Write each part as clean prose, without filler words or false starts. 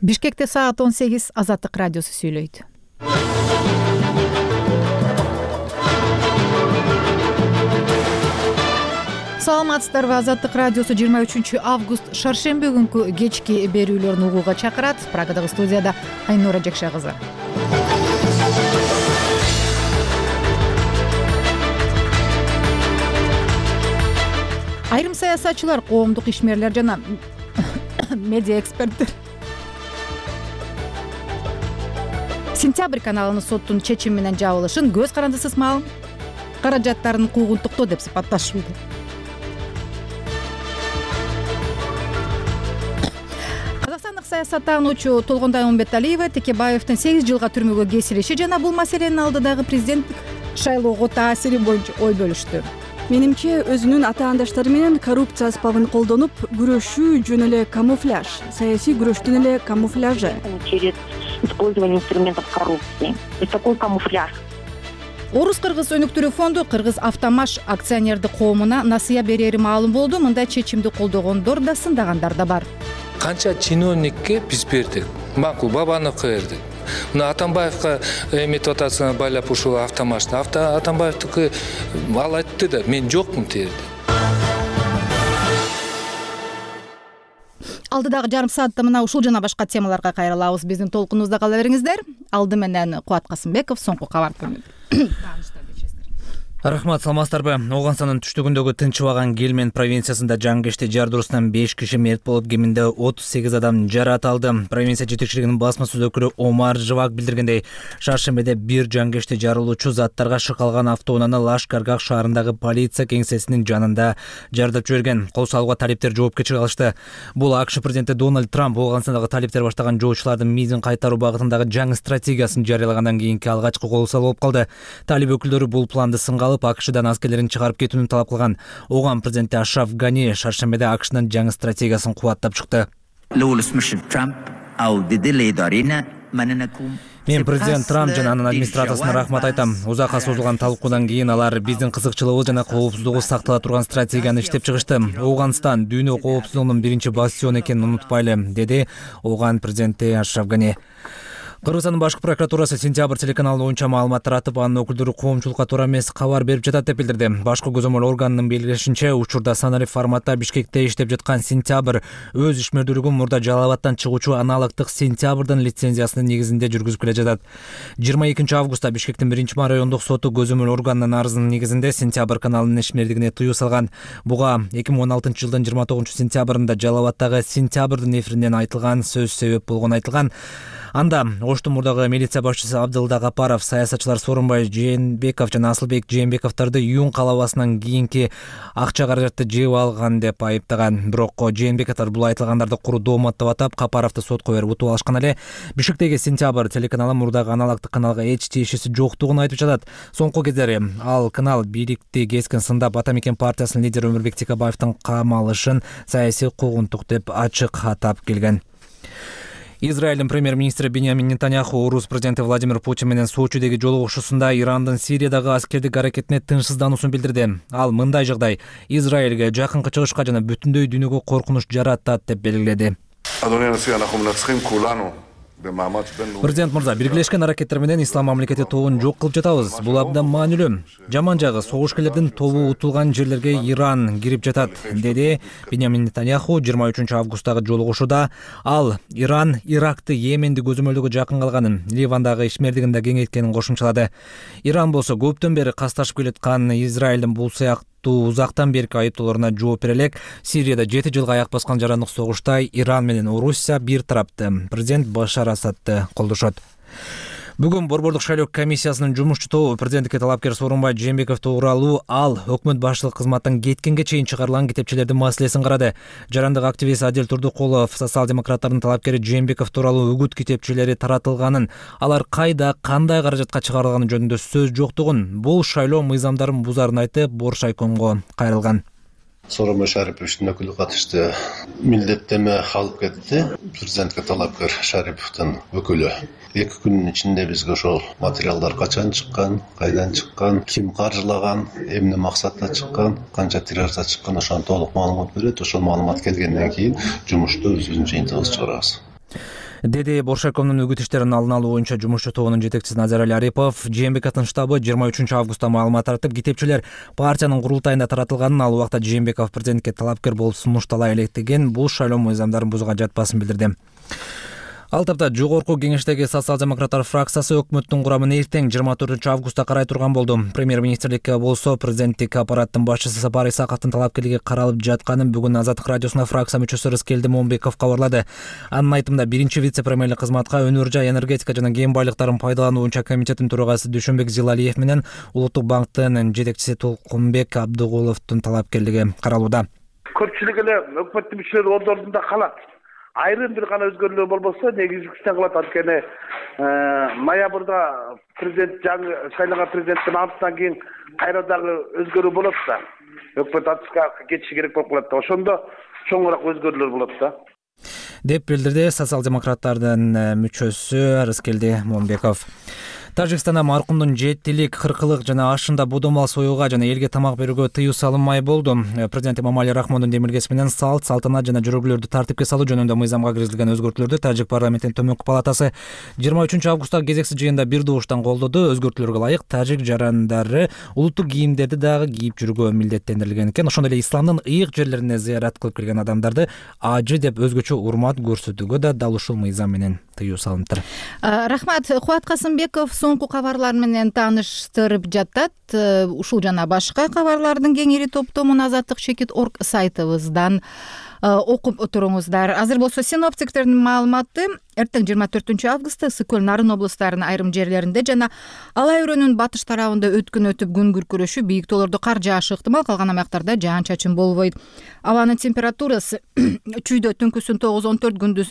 Бишкекте саат 18, Азаттык радиосу сүйлөйт. Саламатсыздарбы? Азаттык радиосу 23 август шаршемби күнкү кечки берүүлөрүн угууга чакырат. Прагадагы студияда Айнура Жакша кызы. Айрым саясатчылар, коомдук ишмерлер жана медиа эксперттер Сентябрь каналынын соттун чечими менен жабылышын көз карандысыз мал каражаттарын куугунтуктоо деп сыпатташууда. Казакстандык саясаттануучу Толгондай Умбеталиева Текебаевдин 8 жылга түрмөгө кесилиши жана бул маселенин алдыдагы президенттик шайлоого таасири боюнча ой бөлүштү. Менимче, өзүнүн атаандаштары менен коррупция аспабын колдонуп, күрөшүү жөн эле камуфляж, саясий күрөштүн эле камуфляжы. Через использование инструментов коррупции. То есть такой камуфляж. Орус-кыргыз өнүктүрүү фонду Кыргыз Автомаш акционердик коомуна насыя берери маалым болду. Мындай чечимди колдогондор да, сындагандар да бар. Канча чиновникке биз бердик. Макул Бабановго бердик. Мына Атамбаевга эметип атасына байлап ушул Автомашты. Атамбаевдики ал айтты да, мен жокмун терди. Алдыдагы жарым саатта мына ушул жана башка темаларга кайрылабыз. Биздин толкунубузда кала бериңиздер. Алды менен Кубат Касымбеков, соңку кабар көрүнүп. Рахмат, саламатсыздарбы? Оганстандын түштүгүндөгү Тынчыбаган Гельмен провинциясында жаңгешти жар дурусунан 5 киши мерт болуп, кеминде 38 адам жаракат алды. Провинция жетекчилигинин басма сөз өкүлү Омар Живак билдиргендей, шаршембиде бир жаңгешти жарылуучу заттарга шыкалган автоунааны Лашкаргах шаарындагы полиция кеңсесинин жанында жардап жиберген. Кол салууга талиптер жоопкерчилик алышты. Бул АКШ президенти Дональд Трамп Оганстандагы талиптер баштаган жоочулардын мизин кайтаруу багытындагы жаңы стратегиясын жарыялагандан кийинки алгачкы кол салуу болуп калды. Талиб өкүлдөрү бул планды сынга АКШдан аскерлерин чыгарып кетүүнү талап кылган. Оган президенти Ашраф Гани шаршембиде АКШнын жаңы стратегиясын кубаттап чыкты. Мен президент Трамп жана анын администрациясына рахмат айтам. Узакка созулган талкуудан кийин алар биздин кызыкчылыгыбыз жана коопсуздугубуз сактала турган стратегияны иштеп чыгышты. Оганстан дүйнө коопсуздугунун биринчи бастиону экенин унутпайлы, деди Оган президенти Ашраф Гани. Кыргызстандын башкы прокуратурасы Сентябрь телеканалына оюнча маалымат таратып, анын өкүлдөрү коомчулукка туура эмес кабар берип жатат деп билдирди. Башкы көзөмөл органынын белгилешинче, учурда саналык форматта Бишкекте иштеп жаткан Сентябрь өз ишмердүүлүгүн мурда Жалал Абадтан чыгуучу аналогдук Сентябрдын лицензиясынын негизинде жүргүзүп келе жатат. 22 августта Бишкектин 1-ма райондук соту көзөмөл органынын арызынын негизинде Сентябрь каналынын ишмердигине тыюу салган. Буга 2016 жылдын 29 сентябрында Жалал Абадтагы Сентябрдын эфиринен айтылган сөз себеп болгону айтылган. Анда Оштун мурдагы милиция башчысы Абдылда Гапаров, саясатчылар Сооронбай Жээнбеков жана Асылбек Жээнбековдорду Юн калабасынан кийинки акча каражатты жеп алган деп айыптаган. Бирок Жээнбековдор бул айтылгандарды куру доомат деп атап, Капаровду сотко берип утуп алышкан эле. Бишкектеги Сентябрь телеканалы мурдагы аналогдук каналга эч тиешеси жоктугун айтып жатат. Соңку кездери ал канал бийликти кескен сындап, Ата мекен партиясынын лидери Өмүрбек Текебаевдин камалышын саясий куугунтук деп ачык атап келген. Израилдин премьер-министри Биньямин Нетаньяху орус президенти Владимир Путин менен Сочидеги жолугушуусунда Ирандын Сириядагы аскердик аракетине тынчсыздануусун билдирди. Ал мындай жагдай Израилге жакынкы чыгышка жана бүтүндөй дүйнөгө коркунуч жаратат деп белгиледи. Президент мырза, биргелешкен аракеттер менен ислам мамлекети тобун жок кылып жатабыз. Бул абдан маанилүү. Жаман жагы, согушкерлердин тобу утулган жерлерге Иран кирип жатат, деди Биньямин Нетаньяху 23 августтагы жолугушууда. Ал Иран Иракты, Йеменди көзөмөлдөгө жакын калганын, Ливандагы ишмердигин да кеңейткенин кошумчалады. Иран болсо көптөн бери касташып келаткан Израилдин бул сыяктуу узактан берки айыптоолоруна жооп бере элек. Сирияда 7 жылга аяк баскан жарандык согушта Иран менен Орусия бир тарапты, президент Башар Асадты колдошот. Бүгүн Борбордук шайлоо комиссиясынын жумушчу тобу президенттикке талапкер Сооронбай Жээнбеков тууралуу ал өкмөт башчылык кызматтан кеткенге чейин чыгарылган китепчелердин маселесин карады. Жарандык активист Адил Турдукулов социал-демократтардын талапкери Жээнбеков тууралуу үгүт китепчелери таратылганын, алар кайда, кандай каражатка чыгарылганы жөнүндө сөз жоктугун, бул шайлоо мыйзамдарын бузарын айтып, Боршайкомго кайрылган. Сооронбай Шариповичтин өкүлү катышты милдеттеме алып кетти. Президентке талапкер Шариповдун өкүлү. 2 күнүн ичинде бизге ошол материалдар качан чыккан, кайдан чыккан, ким каржылаган, эмне максатта чыккан, канча тиражда чыккан, ошону толук маалымат берет. Ошол маалымат келгенден кийин жумушту өзүбүздүн жыйынтыгыбызды чыгарабыз. деди Боршаковдун үгүт иштеринин алдын алуу боюнча жумушчу тобунун жетекчиси Назар Али Арипов. Жээнбековдун штабы 23 августта маалымат таратып, китепчилер партиянын курултайында таратылганын, ал убакта Жээнбеков президентке талапкер болуп сунуштала элек деген бул шайлоо мыйзамдарын бузууга жатпасын билдирди. Ал тапта жогорку кеңештеги социал-демократтар фракциясы өкмөттүн курамын эртең 24 августта карай турган болду. Премьер-министрликке болсо президенттик аппараттын башчысы Сапар Исаковдун талапкерлиги каралып жатканын бүгүн Азаттык радиосуна фракция мүчөсү Рыскелди Момбеков кабарлады. Анын айтымында биринчи вице-премьерлик кызматка өнөр жай, энергетика жана кен байлыктарын пайдалануу боюнча комитеттин төрагасы Дүйшөнбек Зилалиев менен Улуттук банктын жетекчиси Толкунбек Абдыгуловдун талапкерлиги каралууда. Көпчүлүк эле өкмөттүн мүчөлөрү ордорунда калат. Айрым бир гана өзгөрүүлөр болбосо негизгисине кылат. Анткени ноябрда президент жаңы шайланган президенттин антынан кийин кайра дагы өзгөрүү болот да. Өкмөт атыска кетиши керек болуп калат да. Ошондо чоңураак өзгөрүүлөр болот да. Деп билдирди социал-демократтардын мүчөсү Рыскелди Момбеков. Тажикстанда маркумдун 7-лик, 40-лык жана ашында бодомал союуга жана элге тамак берүүгө тыюу салынмай болду. Президент Эмомали Рахмондун демилгеси менен салт, салтанат жана жөрөгүүлөрдү тартипке салуу жөнүндө мыйзамга киргизилген өзгөртүүлөрдү Тажик парламентинин төмөнкү палатасы 23 августтагы кезексиз жыйында бир добуштан колдоду. Өзгөртүүлөргө ылайык тажик жарандары улуттук кийимдерди дагы кийип жүрүүгө милдеттендирилген экен. Ошондой эле исламдын ыйык жерлерине зыярат кылып келген адамдарды ажы деп өзгөчө урмат көрсөтүүгө да дал ушул мыйзам менен тыюу салыныптыр. Рахмат. Кубат Касымбеков соңку кабарлар менен тааныштырып жатат. Ушул жана башка кабарлардын кеңири топтомун Азаттык.org сайтыбыздан окуп туруңуздар. Азыр болсо синоптиктердин маалыматы эртең 24 августта Ысык-Көл, Нарын облустарынын айрым жерлеринде жана Алай өрөөнүн батыш тарабында өткөн өтүп күн күркүрөшү, бийик тоолордо кар жаашы ыктымал, калган аймактарда жаан-чачын болбойт. Абанын температурасы чүйдө түнкүсүн 9-14, күндүз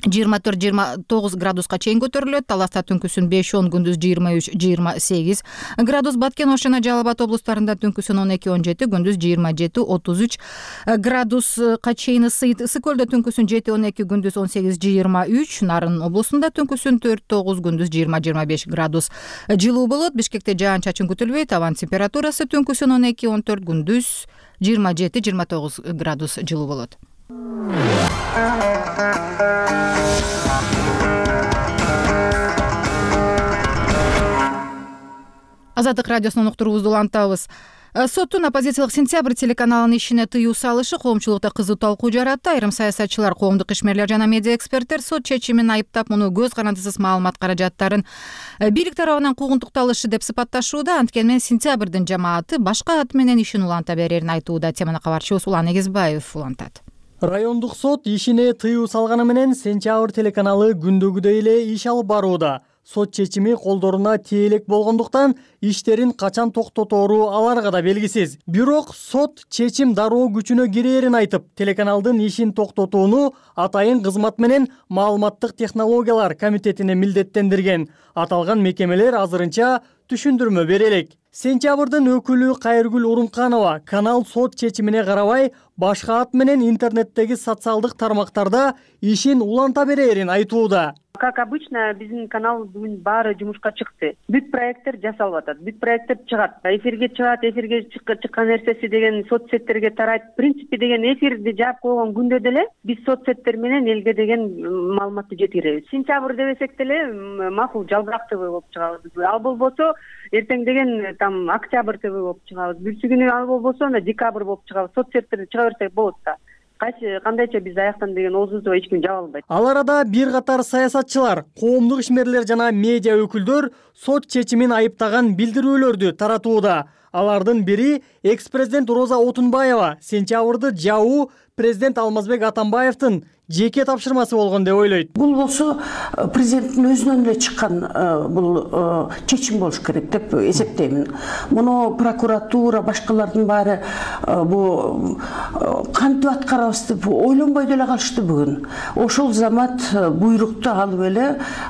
24-29 градуска чейин көтөрүлөт. Таласта түнкүсүн 5-10, күндүз 23-28 градус. Баткен, Ош жана Жалал Абад облустарында түнкүсүн 12-17, күндүз 27-33 градуска чейин ысыйт. Ысык-Көлдө түнкүсүн 7-12, күндүз 18-23. Нарын облусунда түнкүсүн 4-9, күндүз 20-25 градус жылуу болот. Бишкекте жаан-чачын күтүлбөйт. Абанын температурасы түнкүсүн 12-14, күндүз 27-29 градус жылуу болот. Азаттык радиосунун уктуруубузду улантабыз. Соттун оппозициялык Сентябрь телеканалынын ишине тыюу салышы коомчулукта кызуу талкуу жаратты. Айрым саясатчылар, коомдук ишмерлер жана медиа эксперттер сот чечимин айыптап, муну көз карандысыз маалымат каражаттарын бийлик тарабынан куугунтукталышы деп сыпатташууда. Анткени Сентябрдын жамааты башка ат менен ишин уланта берерин айтууда. Теманы кабарчыбыз Улан Эгизбаев улантат. Райондук сот ишине тыюу салганы менен Сентябрь телеканалы күндөгүдөй эле иш алып барууда. Сот чечими колдоруна тие элек болгондуктан иштерин качан токтотору аларга да белгисиз. Бирок сот чечим дароо күчүнө кирээрин айтып, телеканалдын ишин токтотууну атайын кызмат менен маалыматтык технологиялар комитетине милдеттендирген. Аталган мекемелер азырынча түшүндүрмө бере элек. Сентябрдын өкүлү Кайыргүл Урунканова канал сот чечимине карабай башка ат менен интернеттеги социалдык тармактарда ишин уланта берерин айтууда. Как обычно, биздин канал бүгүн баары жумушка чыкты. Бүт проекттер жасалып атат. Бүт проекттер чыгат. Эфирге чыгат, эфирге чыккан нерсеси деген соцсеттерге тарайт. В принципе деген эфирди жаап койгон күндө деле биз соцсеттер менен элге деген маалыматты жеткиребиз. Сентябрь дебесек деле макул Жалбырак ТВ болуп чыгабыз. Ал болбосо эртең деген там Октябрь ТВ болуп чыгабыз. Бүрсү күнү ал болбосо Декабрь болуп чыгабыз. Соцсеттерди чыга берсек болот да. Кандайча биз аяктан деген оозубузду эч ким жаба албайт. Ал арада бир катар саясатчылар, коомдук ишмерлер жана медиа өкүлдөр сот чечимин айыптаган билдирүүлөрдү таратууда. Алардын бири экс-президент Роза Отунбаева сентябрды жабуу президент Алмазбек Атамбаевдин жеке тапшырмасы болгон деп ойлойт. Бул болсо президенттин өзүнөн эле чыккан бул чечим болуш керек деп эсептеймин. Муну прокуратура, башкалардын баары бул кантип аткарабыз деп ойлонбой деле калышты бүгүн. Ошол замат буйрукту алып эле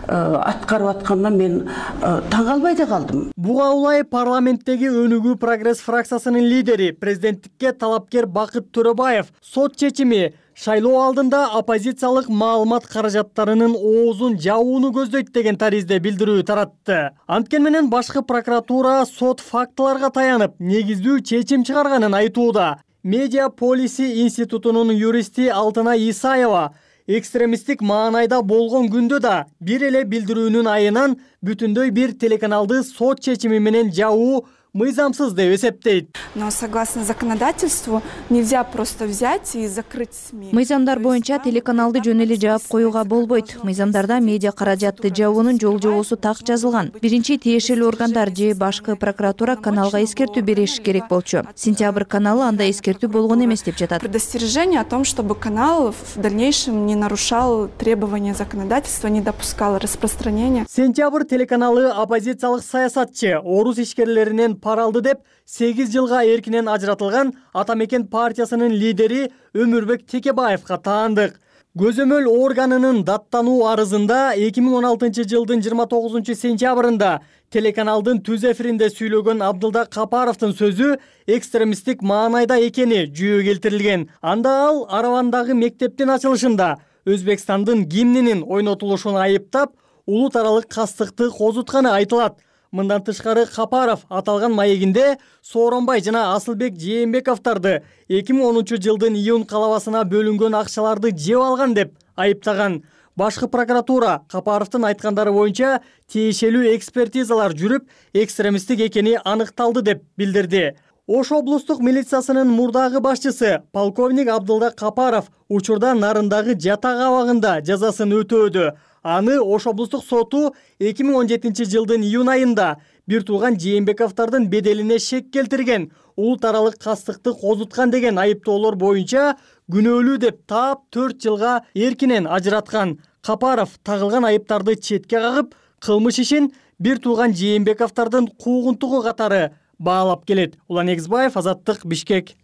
аткарып аткандан мен таң калбай да калдым. Буга улай парламенттеги Өнүгүү Прогресс фракциясынын лидери, президенттикке талапкер Бакыт Төрөбаев сот чечими шайлоо алдында оппозициялык маалымат каражаттарынын оозун жабууну көздөйт деген таризде билдирүү таратты. Анткени менен башкы прокуратура сот фактыларга таянып негиздүү чечим чыгарганын айтууда. Медиа Полиси институтунун юристи Алтынай Исаева экстремисттик маанайда болгон күндө да бир эле билдирүүнүн айынан бүтүндөй бир телеканалды сот чечими менен жабуу мыйзамсыз деп эсептейт. Но согласно законодательству нельзя просто взять и закрыть СМИ. Мыйзамдар боюнча телеканалды жөн эле жаап коюуга болбойт. Мыйзамдарда медиа каражатты жабуунун жол-жобосу так жазылган. Биринчи тиешелүү органдар же башкы прокуратура каналга эскертүү бериши керек болчу. Сентябрь каналы анда эскертүү болгон эмес деп жатат. Предостережение о том, чтобы канал в дальнейшем не нарушал требования законодательства, не допускал распространения. Сентябрь телеканалы оппозициялык саясатчы, орус ишкерлеринен пара алды деп 8 жылга эркинен ажыратылган Ата Мекен партиясынын лидери Өмүрбек Текебаевга таандык. Көзөмөл органынын даттануу арызында 2016 жылдын 29 сентябрында телеканалдын түз эфиринде сүйлөгөн Абдылда Капаровдун сөзү экстремисттик маанайда экени жүйө келтирилген. Анда ал Аравандагы мектептин ачылышында Өзбекстандын гимнинин ойнотулушун айыптап, улут аралык кастыкты козутканы айтылат. Мындан тышкары Капаров аталган маегинде Сооронбай жана Асылбек Жээнбековдорду 2010 жылдын июнь калабасына бөлүнгөн акчаларды жеп алган деп айыптаган. Башкы прокуратура Капаровдун айткандары боюнча тиешелүү экспертизалар жүрүп, экстремисттик экени аныкталды деп билдирди. Ош облустук милициясынын мурдагы башчысы полковник Абдылда Капаров учурда Нарындагы жатак абагында жазасын өтөөдө. Аны Ош облустук соту 2017 жылдын июнь айында бир тууган Жээнбековдордун беделине шек келтирген, улут аралык кастыкты козуткан деген айыптоолор боюнча күнөөлүү деп таап 4 жылга эркинен ажыраткан. Капаров тагылган айыптарды четке кагып, кылмыш ишин бир тууган Жээнбековдордун куугунтугу катары баалап келет. Улан Эгизбаев, Азаттык, Бишкек.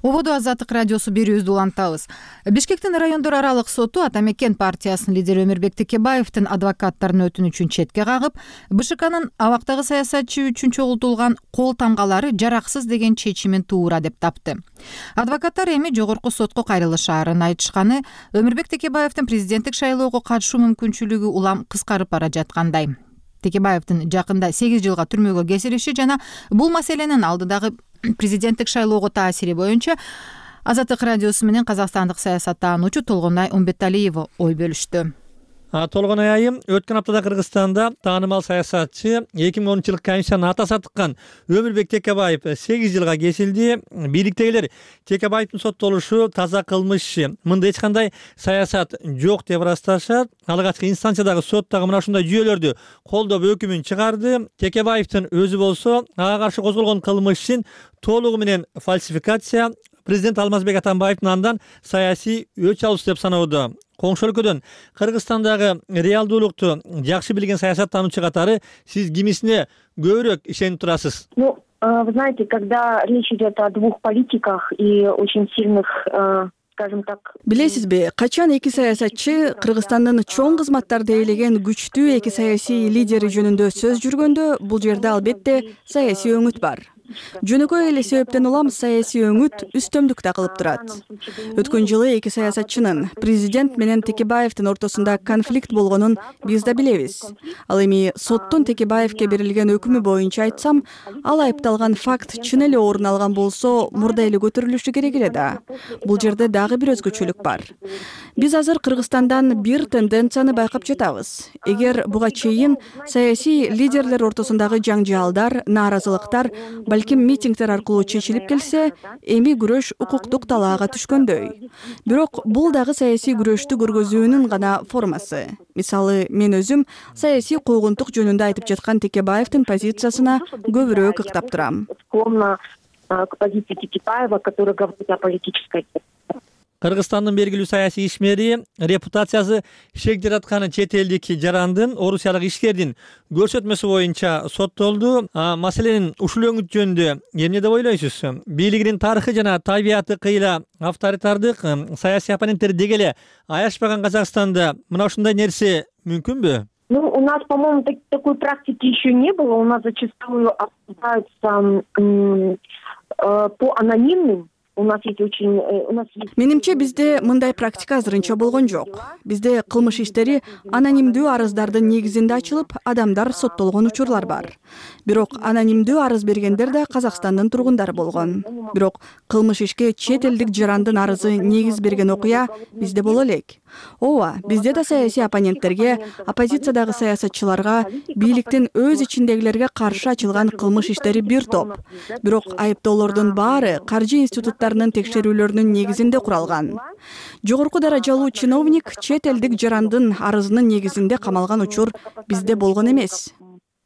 Ободо Азаттык радиосу берүүбүздү улантабыз. Бишкектин райондор аралык соту Ата Мекен партиясынын лидери Өмүрбек Текебаевдин адвокаттарынын өтүнүчүн четке кагып, БШКнын абактагы саясатчы үчүн чогултулган кол тамгалары жараксыз деген чечимин туура деп тапты. Адвокаттар эми жогорку сотко кайрылышаарын айтышканы, Өмүрбек Текебаевдин президенттик шайлоого катышуу мүмкүнчүлүгү улам кыскарып бара жаткандай. Текебаевдин жакында 8 жылга түрмөгө кесилиши жана бул маселенин алдыдагы президенттик шайлоого таасири боюнча Азаттык радиосу менен казакстандык саясаттануучу Толгонай Умбеталиева ой бөлүштү. Толгонай айым, өткөн аптада Кыргызстанда таанымал саясатчы 2010 жылкы комиссиянын атасы атыккан Өмүрбек Текебаев 8 жылга кесилди. Бийликтегилер Текебаевдин соттолушу таза кылмыш, мында эч кандай саясат жок деп ырасташат. Алгачкы инстанциядагы сот дагы мына ушундай жүйөлөрдү колдоп өкүмүн чыгарды. Текебаевдин өзү болсо ага каршы козголгон кылмышын толугу менен фальсификация, президент Алмазбек Атамбаевдин андан саясий өч алуусу деп саноодо. Коңшу өлкөдөн Кыргызстандагы реалдуулукту жакшы билген саясаттануучу катары сиз кимисине көбүрөөк ишенип турасыз? Ну, вы знаете, когда речь идет о двух политиках и очень сильных, скажем так... Билесизби, качан эки саясатчы Кыргызстандын чоң кызматтарды ээлеген күчтүү эки саясий лидери жөнүндө сөз жүргөндө, бул жерде албетте саясий өңүт бар. Жөнөкөй эле себептен улам саясий өңүт үстөмдүктө кылып турат. Өткөн жылы эки саясатчынын президент менен Текебаевдин ортосунда конфликт болгонун биз да билебиз. Ал эми соттун Текебаевке берилген өкүмү боюнча айтсам, ал айыпталган факт чын эле орун алган болсо, мурда эле көтөрүлүшү керек эле да. Бул жерде дагы бир өзгөчөлүк бар. Биз азыр Кыргызстандан бир тенденцияны байкап жатабыз. Эгер буга чейин саясий лидерлер ортосундагы жаңжаалдар, нааразылыктар, балким митингдер аркылуу чечилип келсе, эми күрөш укуктук талаага түшкөндөй. Бирок бул дагы саясий күрөштү көргөзүүнүн гана формасы. Мисалы, мен өзүм саясий куугунтук жөнүндө айтып жаткан Текебаевдин позициясына көбүрөөк ыктап турам. К позиции Текебаева, который говорит о политической... Кыргызстандын белгилүү саясий ишмери, репутациясы шек жаратканы чет элдик жарандын орусиялык ишкердин көрсөтмөсү боюнча соттолду. Маселенин ушул өңүт жөнүндө эмне деп ойлойсуз? Бийлигинин тарыхы жана табияты кыйла авторитардык саясий оппоненттер деги эле аячпаган Казакстанда мына ушундай нерсе мүмкүнбү? Ну, у нас, по-моему, такой практики еще не было. У нас зачастую обсуждаются по анонимным у нас есть очень менимче бизде мындай практика азырынча болгон жок. Бизде кылмыш иштери анонимдүү арыздардын негизинде ачылып, адамдар соттолгон учурлар бар. Бирок анонимдүү арыз бергендер да Казакстандын тургундары болгон. Бирок кылмыш ишке чет элдик жарандын арызы негиз берген окуя бизде боло элек. Ооба, бизде да саясий оппоненттерге, оппозициядагы саясатчыларга, бийликтин өз ичиндегилерге каршы ачылган кылмыш иштери бир топ. Бирок айыптоолордун баары каржы институттарынын текшерүүлөрүнүн негизинде куралган. Жогорку даражалуу чиновник чет элдик жарандын арызынын негизинде камалган учур бизде болгон эмес.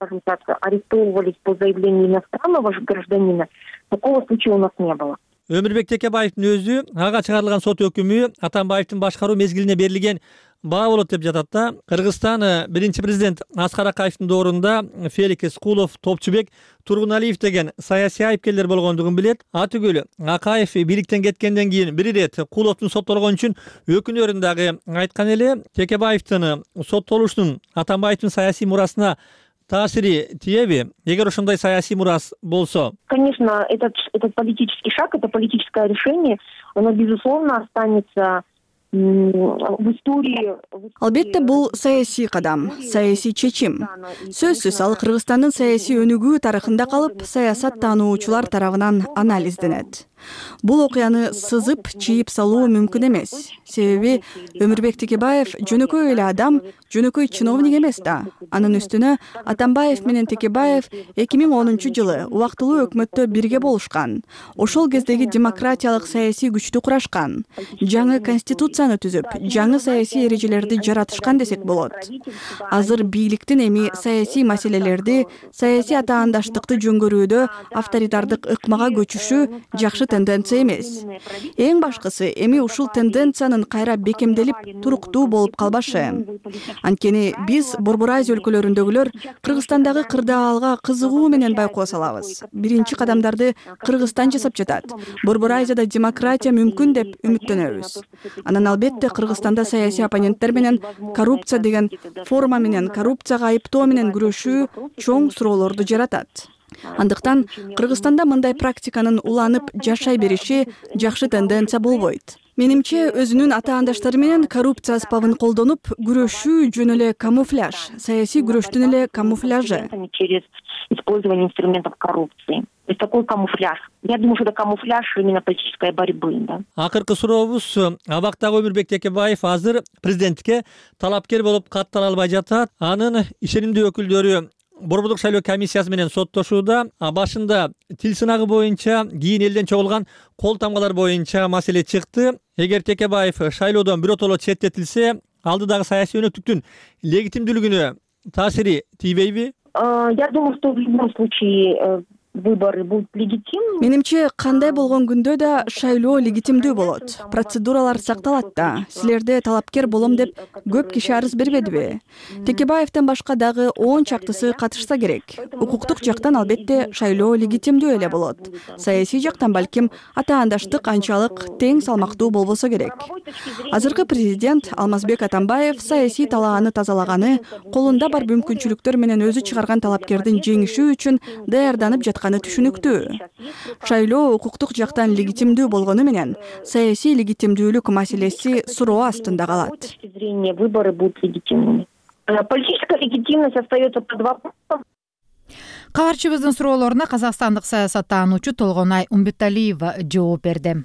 Скажем так, арестовывались по заявлению иностранного гражданина. Такого случая у нас не было. Өмүрбек Текебаевдин өзү ага чыгарылган сот өкүмү Атамбаевдин башкаруу мезгилине берилген баа болот деп жатат да. Кыргызстан биринчи президент Аскар Акаевдин доорунда Феликс Кулов, Топчубек, Тургуналиев деген саясий айыпкерлер болгондугун билет. Атүгүл Акаев бийликтен кеткенден кийин бир ирет Куловдун соттолгон үчүн өкүнөрүн дагы айткан эле. Текебаевдин соттолушунун Атамбаевдин саясий мурасына таасири тиеби? Эгер ошондой саясий мурас болсо? Конечно, этот политический шаг, это политическое решение, оно, безусловно, останется в истории. Албетте бул саясий кадам, саясий чечим. Сөзсүз ал Кыргызстандын саясий өнүгүү тарыхында калып, саясат таануучулар тарабынан анализденет. Бул окуяны сызып, чийип салуу мүмкүн эмес. Себеби Өмүрбек Текебаев жөнөкөй эле адам, жөнөкөй чиновник эмес да. Анын үстүнө Атамбаев менен Текебаев 2010-жылы убактылуу өкмөттө бирге болушкан. Ошол кездеги демократиялык саясий күчтү курашкан. Жаңы конституцияны түзүп, жаңы саясий эрежелерди жаратышкан десек болот. Азыр бийликтин эми саясий маселелерди, саясий атаандаштыкты жөнгөрүүдө авторитардык ыкмага көчүшү жакшы тенденция эмес. Эң башкысы эми ушул тенденциянын кайра бекемделип, туруктуу болуп калбашы. Анткени биз Борбор Азия өлкөлөрүндөгүлөр Кыргызстандагы кырдаалга кызыгуу менен байкоо салабыз. Биринчи кадамдарды Кыргызстан жасап жатат. Борбор Азияда демократия мүмкүн деп үмүттөнөбүз. Анан албетте Кыргызстанда саясий оппоненттер менен коррупция деген форма менен коррупцияга айыптоо менен күрөшүү чоң суроолорду жаратат. Андыктан Кыргызстанда мындай практиканын уланып жашай бериши жакшы тенденция болбойт. Менимче өзүнүн атаандаштары менен коррупция аспабын колдонуп күрөшүү жөн эле камуфляж, саясий күрөштүн эле камуфляжы. Через использование инструментов коррупции. То есть такой камуфляж. Я думаю, что это камуфляж именно политической борьбы, да. Акыркы сурообуз, абактагы Өмүрбек Текебаев азыр президентке талапкер болуп каттала албай жатат. Анын ишенимдүү өкүлдөрү Борбордук шайлоо комиссиясы менен соттошууда. Башында тил сынагы боюнча, кийин элден чогулган кол тамгалар боюнча маселе чыкты. Эгер Текебаев шайлоодон биротоло четтетилсе, алдыдагы саясий өнөктүктүн легитимдүүлүгүнө таасири тийбейби? Я думаю, что в любом случае выборы будут легитимны. Менимче кандай болгон күндө да шайлоо легитимдүү болот. Процедуралар сакталат да. Силерде талапкер болом деп көп киши арыз бербедиби? Текебаевден башка дагы 10 чактысы катышса керек. Укуктук жактан албетте шайлоо легитимдүү эле болот. Саясий жактан балким атаандаштык анчалык тең салмактуу болбосо керек. Азыркы президент Алмазбек Атамбаев саясий талааны тазалаганы, колунда бар мүмкүнчүлүктөр менен өзү чыгарган талапкердин жеңиши үчүн даярданып жатканы түшүнүктүү. Шайлоо укуктук жактан легитимдүү болгону менен саясий легитимдүүлүк маселеси суроо астында калат. Выборы будут легитимными. Политическая легитимность остается под вопросом. Кабарчыбыздын суроолоруна казакстандык саясаттаануучу Толгонай Умбеталиева жооп берди.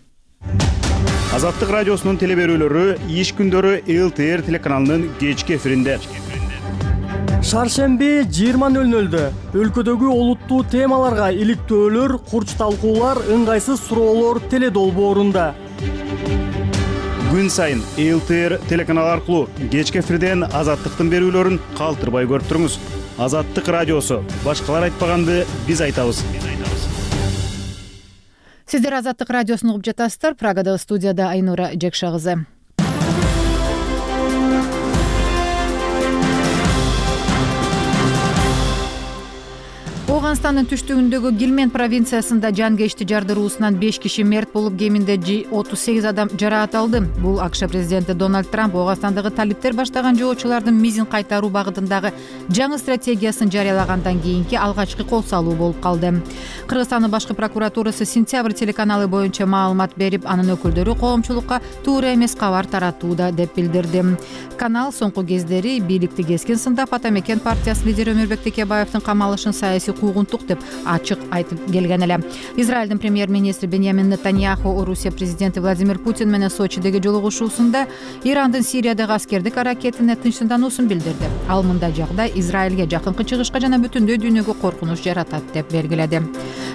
Азаттык радиосунун телеберүүлөрү иш күндөрү ЛТР телеканалынын кечки эфиринде. Шаршемби 20:00 өлкөдөгү олуттуу темаларга иликтөөлөр, курч талкуулар, ыңгайсыз суроолор теледолбоорунда. Күн сайын ЛТР телеканалы аркылуу кечки эфирден азаттыктын берүүлөрүн калтырбай көрүп туруңуз. Азаттык радиосу. Башкалар айтпаганды биз айтабыз. Сиздер Азаттык радиосун угуп жатасыздар. Прагадагы студияда Айнура Жекша кызы. Ооганстандын түштүгүндөгү Гилмен провинциясында жанкечти жардыруусунан 5 киши мерт болуп, кеминде 38 адам жараат алды. Бул АКШ президенти Дональд Трамп Ооганстандагы талиптер баштаган жоочулардын мизин кайтаруу багытындагы жаңы стратегиясын жарыялагандан кийинки алгачкы кол салуу болуп калды. Кыргызстандын башкы прокуратурасы Сентябрь телеканалы боюнча маалымат берип, анын өкүлдөрү коомчулукка туура эмес кабар таратууда деп билдирди. Канал соңку кездери бийликти кескин сындап, Ата Мекен партиясынын лидери Өмүрбек Текебаевдин камалышын саясий куугунтук деп ачык айтып келген эле. Израилдин премьер-министри Беньямин Нетаньяху Орусия президенти Владимир Путин менен Сочидеги жолугушуусунда Ирандын Сириядагы аскердик аракетине тынчсыздануусун билдирди. Ал мындай жагдай Израилге, жакынкы чыгышка жана бүтүндөй дүйнөгө коркунуч жаратат деп белгиледи.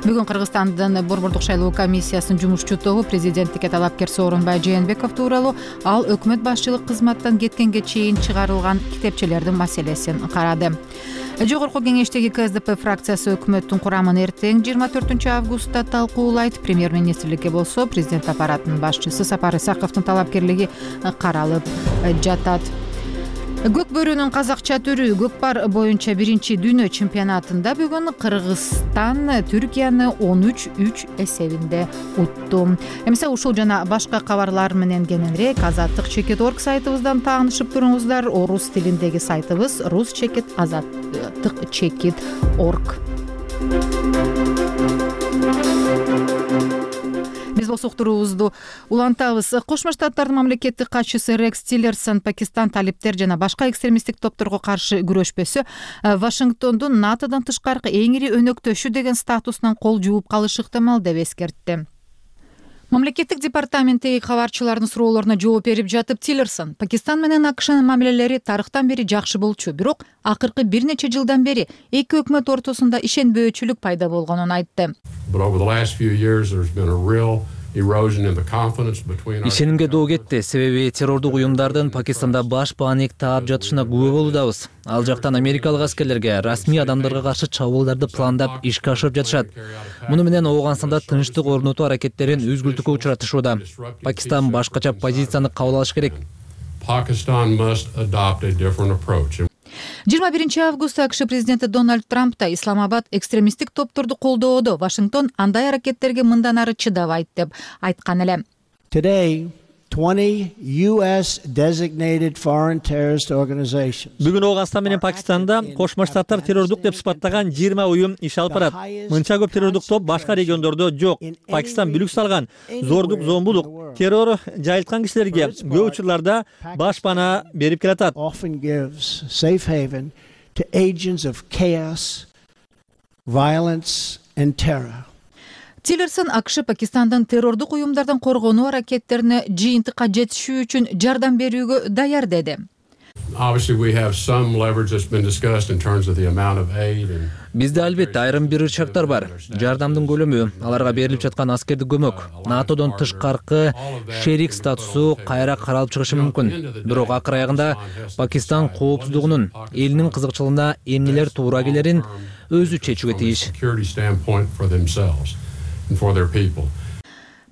Бүгүн Кыргызстандын Борбордук шайлоо комиссиясынын жумушчу тобу президенттикке талапкер Сооронбай Жээнбеков тууралуу ал өкмөт башчылык кызматтан кеткенге чейин чыгарылган китепчелердин маселесин карады. Жогорку кеңештеги КСДП фракциясы өкмөттүн курамын эртең 24 августта талкуулайт. Премьер-министрликке болсо президент аппаратынын башчысы Сапар Исаковдун талапкерлиги каралып жатат. Көк бөрүнүн казакча түрү көкпар боюнча 1-дүйнө чемпионатында бүгүн Кыргызстан Түркияны 13-3 эсебинде утту. Эмесе ушул жана башка кабарлар менен кененирээк azattik.org сайтыбыздан таанышып туруңуздар. Орус тилиндеги сайтыбыз rus.azattik.org. Биз болсо уктуруубузду улантабыз. Кошмо Штаттардын мамлекеттик катчысы Рекс Тиллерсон Пакистан талиптер жана башка экстремисттик топторго каршы күрөшпөсө, Вашингтондун НАТОдон тышкаркы эң ири өнөктөшү деген статусунан кол жууп калышы ыктымал деп эскертти. Мамлекеттик департаменттеги кабарчылардын суроолоруна жооп берип жатып, Тиллерсон Пакистан менен АКШнын мамилелери тарыхтан бери жакшы болчу, бирок акыркы бир нече жылдан бери эки өкмөт ортосунда ишенбөөчүлүк пайда болгонун айтты. Ишенимге доо кетти, себеби террордук уюмдардын Пакистанда баш бааник таап жатышына күбө болуудабыз. Ал жактан америкалык аскерлерге расмий адамдарга каршы чабуулдарды пландап ишке ашырып жатышат. Муну менен Ооганстанда тынчтык орнотуу аракеттерин үзгүлтүккө учуратышууда. Пакистан башкача позицияны кабыл алыш керек. 21 августта АКШ президенти Дональд Трамп да Исламабад экстремисттик топторду колдоодо, Вашингтон андай аракеттерге мындан ары чыдабайт деп айткан эле. Бүгүн Ооганстан менен Пакистанда Кошмо Штаттар террордук деп сыпаттаган 20 уюм иш алып барат. Мынча көп террордук топ башка региондордо жок. Пакистан бүлүк салган зордук, зомбулук, террор жайылткан кишилерге көп учурларда баш пана берип келатат. Тиллерсон АКШ Пакистандын террордук уюмдардан коргонуу аракеттерине жыйынтыкка жетишүү үчүн жардам берүүгө даяр деди. Бизде албетте айрым бир ырчактар бар. Жардамдын көлөмү, аларга берилип жаткан аскердик көмөк, НАТОдон тышкаркы шерик статусу кайра каралып чыгышы мүмкүн. Бирок акыр аягында Пакистан коопсуздугунун, элинин кызыкчылыгына эмнелер туура келерин өзү чечүүгө тийиш.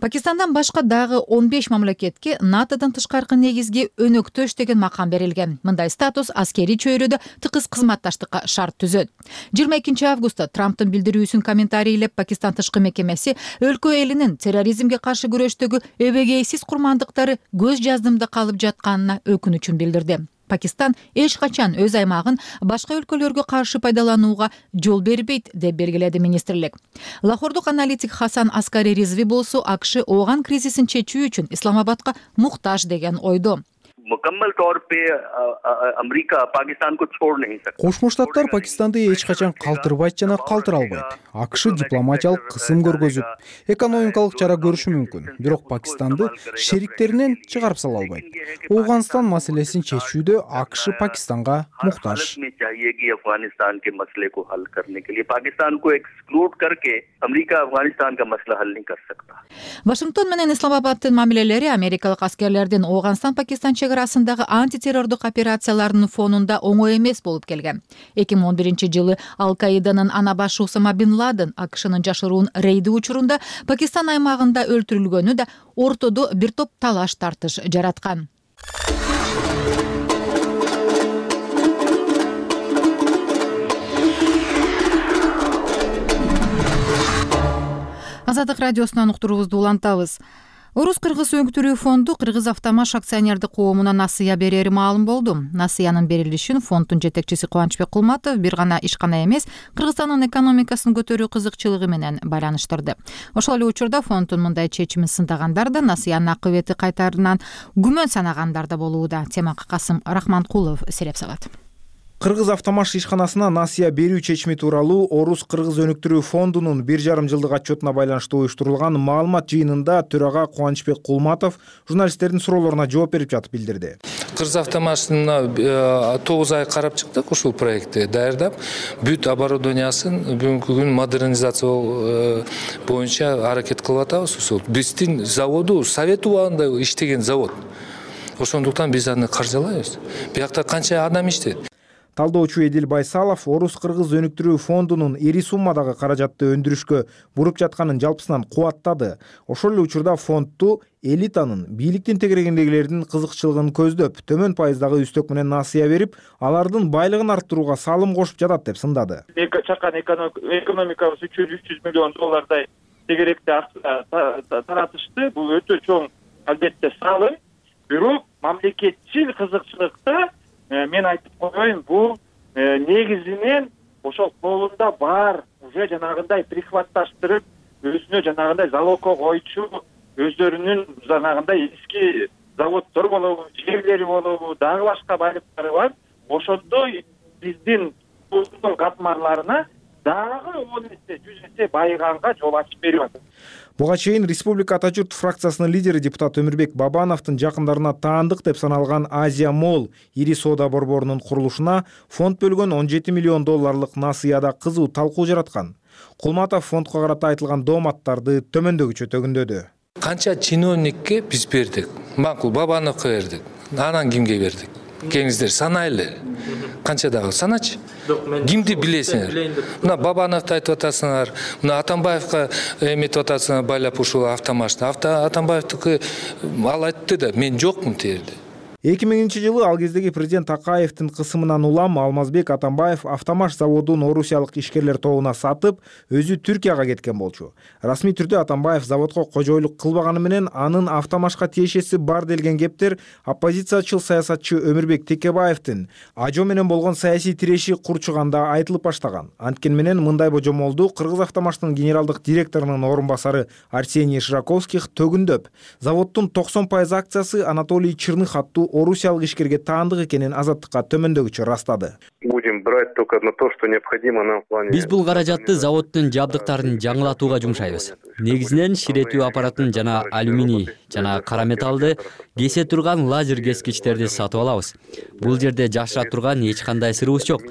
Пакистандан башка дагы 15 мамлекетке НАТОдон тышкаркы негизги өнөктөш деген макам берилген. Мындай статус аскерий чөйрөдө тыкыз кызматташтыкка шарт түзөт. 22 августта Трамптын билдирүүсүн комментарийлеп, Пакистан тышкы мекемеси өлкө элинин терроризмге каршы күрөштөгү эбегейсиз курмандыктары көз жаздымда калып жатканына өкүнүчүн билдирди. Пакистан эч качан өз аймагын башка өлкөлөргө каршы пайдаланууга жол бербейт деп белгиледи министрлик. Лахордук аналитик Хасан Аскари Ризви болсо АКШ ооган кризисин чечүү үчүн Исламабадка муктаж деген ойдо. Кошмо Штаттар Пакистанды эч качан калтырбайт жана калтыра албайт. АКШ дипломатиялык кысым көргөзүп, экономикалык чара көрүшү мүмкүн, бирок Пакистанды шериктеринен чыгарып сала албайт. Ооганстан маселесин чечүүдө АКШ Пакистанга муктаж. Вашингтон менен Исламабаддын мамилелери америкалык аскерлердин Ооганстан-Пакистан чегарасындагы антитеррордук операцияларынын фонунда оңой эмес болуп келген. 2011 жылы Ал-Каиданын ана башы Усама бин Ладен АКШнын жашыруун рейди учурунда Пакистан аймагында өлтүрүлгөнү да ортодо бир топ талаш тартыш жараткан. Азаттык радиосунан уктуруубузду улантабыз. Орус-кыргыз өнүктүрүү фонду Кыргыз Автомаш акционердик коомуна насыя берери маалым болду. Насыянын берилишин фонддун жетекчиси Кубанычбек Кулматов бир гана ишкана эмес, Кыргызстандын экономикасын көтөрүү кызыкчылыгы менен байланыштырды. Ошол эле учурда фонддун мындай чечимин сындагандар да, насыянын акыбети кайтарынан күмөн санагандар да болууда. Темага Касым Рахманкулов сереп салат. Кыргыз Автомаш ишканасына насыя берүү чечими тууралуу Орус-кыргыз өнүктүрүү фондунун 1,5 жылдык отчетуна байланыштуу уюштурулган маалымат жыйынында төрага Кубанычбек Кулматов журналисттердин суроолоруна жооп берип жатып билдирди. Кыргыз Автомашына 9 ай карап чыктык, ушул проектти даярдап, бүт оборудованиясын бүгүнкү күн модернизация боюнча аракет кылып атабыз. Ушул биздин заводу Совет убагында иштеген завод. Ошондуктан биз аны каржылайбыз. Биякта канча адам иштейт. Талдоочу Эдил Байсалов Орус-кыргыз өнүктүрүү фондунун ири суммадагы каражатты өндүрүшкө буруп жатканын жалпысынан кубаттады. Ошол эле учурда фондду элитанын, бийликтин тегерегиндегилердин кызыкчылыгын көздөп, төмөн пайыздагы үстөк менен насыя берип, алардын байлыгын арттырууга салым кошуп жатат деп сындады. Чакан экономикабыз 300 миллион доллардай тегеректи таратышты. Бул өтө чоң албетте салым. Бирок мамлекетчил кызыкчылыкта мен айтып коеюн, бул негизинен ошол колунда бар уже жанагындай прихватташтырып, өзүнө жанагындай залогко койчу, өздөрүнүн жанагындай эски заводдор болобу, жерлери болобу, дагы башка байлыктары бар. Ошондой биздин улуттун катмарларына дагы 10 эсе, 100 эсе байыганга жол ачып берип атат. Буга чейин Республика Ата журт фракциясынын лидери депутат Өмүрбек Бабановдун жакындарына таандык деп саналган Азия Молл ири соода борборунун курулушуна фонд бөлгөн 17 миллион долларлык насыяда кызуу талкуу жараткан. Кулматов фондко карата айтылган дооматтарды төмөндөгүчө төгүндөдү. Канча чиновникке биз бердик? Макул Бабановго бердик. Анан кимге бердик? Кеңиздер санайлы. Канча дагы саначы? Кимди билесиңер? Мына Бабановду айтып атасыңар, мына Атамбаевга эметип атасыңар байлап ушул Автомашты. Атамбаевдики ал айтты да, мен жокмун терди. 2000-жылы ал кездеги президент Акаевдин кысымынан улам Алмазбек Атамбаев Автомаш заводун орусиялык ишкерлер тобуна сатып, өзү Түркияга кеткен болчу. Расмий түрдө Атамбаев заводко кожойлук кылбаганы менен анын Автомашка тиешеси бар делген кептер оппозициячыл саясатчы Өмүрбек Текебаевдин ажо менен болгон саясий тиреши курчуганда айтылып баштаган. Анткени менен мындай божомолду Кыргыз Автомаштын генералдык директорунун орун басары Арсений Шираковских төгүндөп, заводдун 90% акциясы Анатолий Черных аттуу орусиялык ишкерге таандык экенин Азаттыкка төмөндөгүчө растады. Будем брать только на то, что необходимо нам в плане. Биз бул каражатты заводдун жабдыктарын жаңылатууга жумшайбыз. Негизинен ширетүү аппаратын жана алюминий жана кара металлды кесе турган лазер кескичтерди сатып алабыз. Бул жерде жашыра турган эч кандай сырыбыз жок.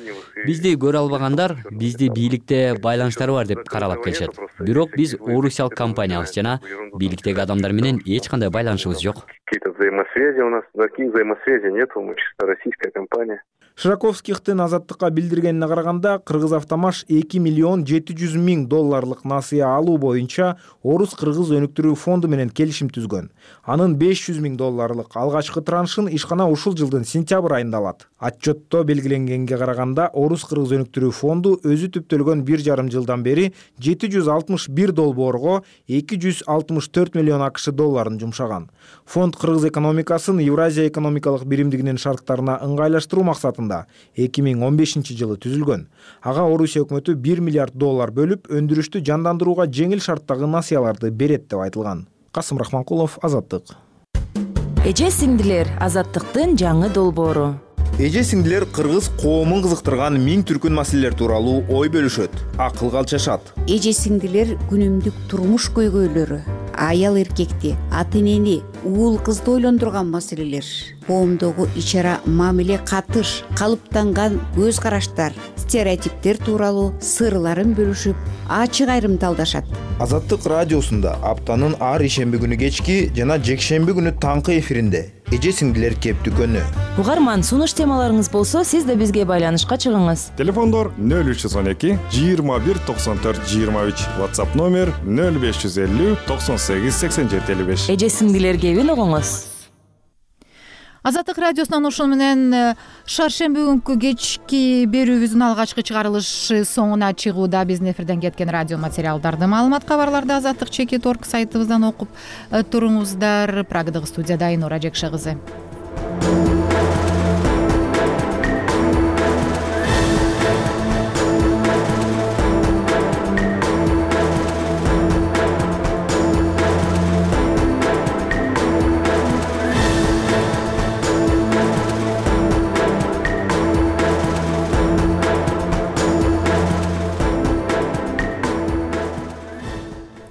Бизди көрө албагандар бизди бийликте байланыштары бар деп каралап келишет. Бирок биз орусиялык компаниябыз жана бийликтеги адамдар менен эч кандай байланышыбыз жок. Какие-то взаимосвязи у нас, таких взаимосвязей нет, мы чисто российская компания. Шираковскихтин Азаттыкка билдиргенине караганда, Кыргыз Автомаш 2 миллион 700 миң долларлык насыя алуу боюнча Орус-кыргыз өнүктүрүү фонду менен келишим түзгөн. Анын 500 миң долларлык алгачкы траншын ишкана ушул жылдын сентябрь айында алат. Отчетто белгиленгенге караганда, Орус-кыргыз өнүктүрүү фонду өзү түптөлгөн 1,5 жылдан бери 761 долбоорго 264 миллион АКШ долларын жумшаган. Фонд кыргыз экономикасын Евразия экономикалык биримдигинин шарттарына ыңгайлаштыруу максатында 2015 жылы түзүлгөн. Ага Орусия өкмөтү 1 миллиард доллар бөлүп, өндүрүштү жандандырууга жеңил шарттагы насыяларды берет деп айтылган. Касым Рахманкулов, Азаттык. Эже сиңдилер, Азаттыктын жаңы долбоору. Эже сиңдилер кыргыз коомун кызыктырган миң түркүн маселелер тууралуу ой бөлүшөт, акылга алчашат. Эже сиңдилер күнүмдүк турмуш көйгөйлөрү, аял эркекти, ата энени, уул кызды ойлондурган маселелер, коомдогу ичара мамиле катыш, калыптанган көз караштар, стереотиптер тууралуу сырларын бөлүшүп, ачык айрымдалдашат. Азаттык радиосунда аптанын ар ишемби күнү кечки жана жекшемби күнү таңкы эфиринде эже сиңдилер кеп дүкөнү. Угарман, сунуш темаларыңыз болсо, сиз да бизге байланышка чыгыңыз. Телефондор 0312 21 94 23, WhatsApp номер 0550 98 87 55. Эже сиңдилер кебин угуңуз. Азаттык радиосунан ушун менен шаршемби күнкү кечки берүүбүздүн алгачкы чыгарылышы соңуна чыгууда. Биздин эфирден кеткен радио материалдарды, маалымат, кабарларды азаттык чекит орг сайтыбыздан окуп туруңуздар. Прагадагы студияда Айнура Жекше кызы.